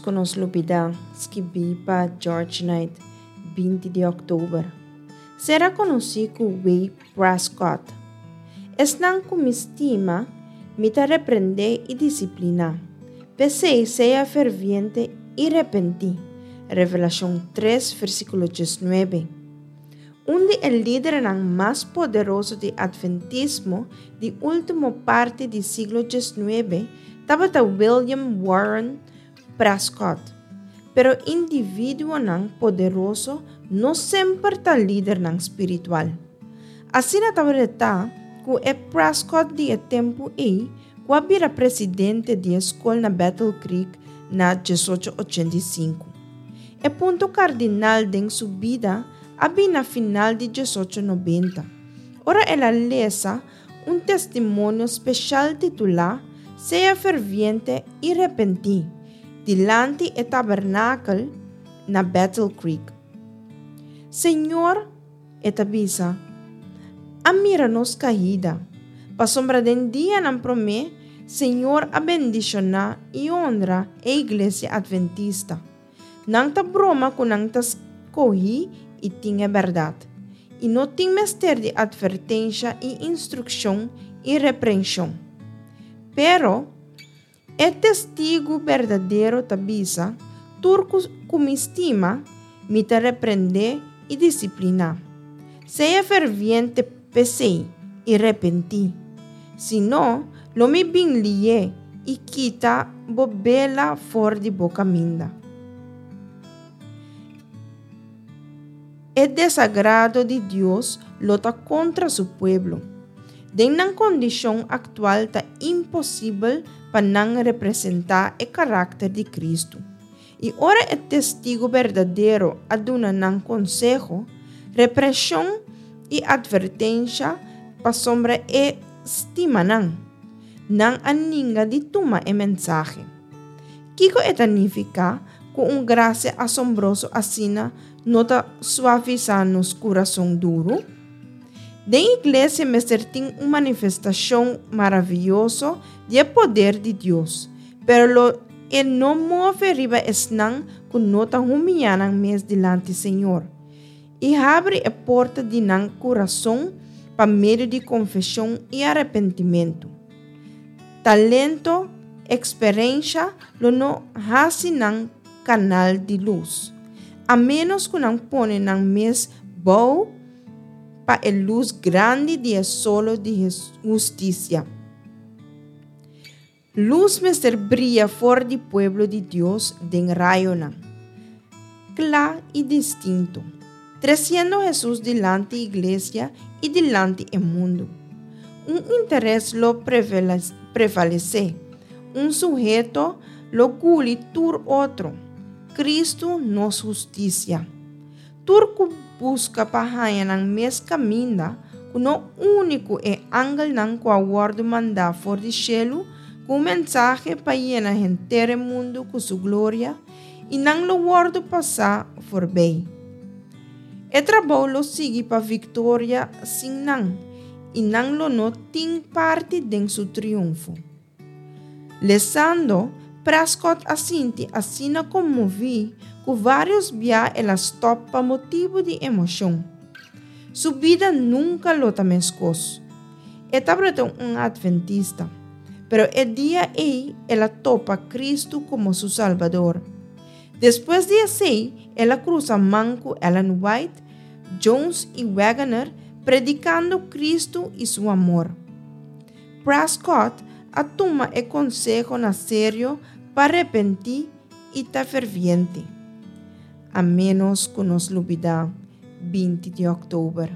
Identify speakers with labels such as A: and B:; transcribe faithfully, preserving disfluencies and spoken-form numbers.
A: ku nos lubidá, skibí pa George Knight, binti di òktober. Sera konosí ku W. Prescott. Esnan ku mi stima, mi ta reprendé i disipliná. P'esei sea ferviente i repentí. Revelashon tres, versíkulo diesnuebe. Un di e lidernan mas poderoso di Atventismo di último parti di siglo diesnuebe tabata William Warren Prescott. Pero individuonan poderoso no semper ta lidernan spiritual. Asina tabata ku e Prescott di e tempu ei, ku a bira presidente di e skol na Battle Creek na diesocho ochenta i sinku. E punto kardinal den su bida a bin na final di diesocho nobenta, ora el a lesa un testimonio speshal titulá Sea Ferviente i Repentí, dilanti e tabernakel na Battle Creek. Señor, e ta bisa, a mira nos kaida, pasobra den dianan promé Señor a bendishoná i honra e Iglesia Adventista. Nan ta broma ku nan ta skohí i tin e bèrdat, i no tin mester di atvertensha i instrukshon i reprenshon. Pero, e testigu berdadero ta bisa, Tur ku mi stima, mi ta reprendé i disipliná. Sea ferviente p'esei i repentí. Si no, lo mi bin lié i kita bo bela for di bo kaminda. E desagrado di Dios lo ta kontra su pueblo. Den nan kondishon aktual ta imposibel pa nan representá e karakter di Kristu. I ora e testigu berdadero a duna nan konseho, represhon i atvertensha pasobra e stima nan, nan a ninga di tuma e mensahe. Kiko e ta nifiká ku un grasia asombroso asina no ta suavisá nos kurason duru? Den iglesia mester tin un manifestashon maravioso di e poder di Dios, pero lo e no move riba esnan ku no ta humiyá nan mes dilanti Señor i habri e porta di nan kurason pa medio di konfeshon i arepentimentu. Talento, eksperensha lo no hasi nan kanal di lus, a ménos ku nan pone nan mes bou pa e lus grandi di e solo di hustisia. Lus mester bria for di pueblo di Dios den rayonan, kla i distinto, tresiendo Hesus dilanti iglesia i dilanti e mundu. Un interes lo prevalesé, un suheto lo guli tur otro, Kristu nos hustisia. Tur ku buska pa haña nan mes kaminda, ku no uni ku e angelnan ku a wòrdu mandá for di shelu ku un mensahe pa yena henter e mundu ku su gloria, i nan lo wòrdu pasá forbei. E trabou lo sigui pa viktoria sin nan, i nan lo no tin parti den su triunfo. Lesando, Prescott a sinti asina konmoví ku vários bia el a stòp pa motibu di emoshon. Su bida nunka lo ta meskos. E tabata un atventista, pero e dia ei el a topa Kristu komo su Salbador. Despues di esei el a krusa man ku Ellen White, Jones i Waggoner predikando Kristu i su amor. Prescott a tuma e konseho na serio pa repentí i ta ferviente. A ménos ku nos lubidá binti di òktober.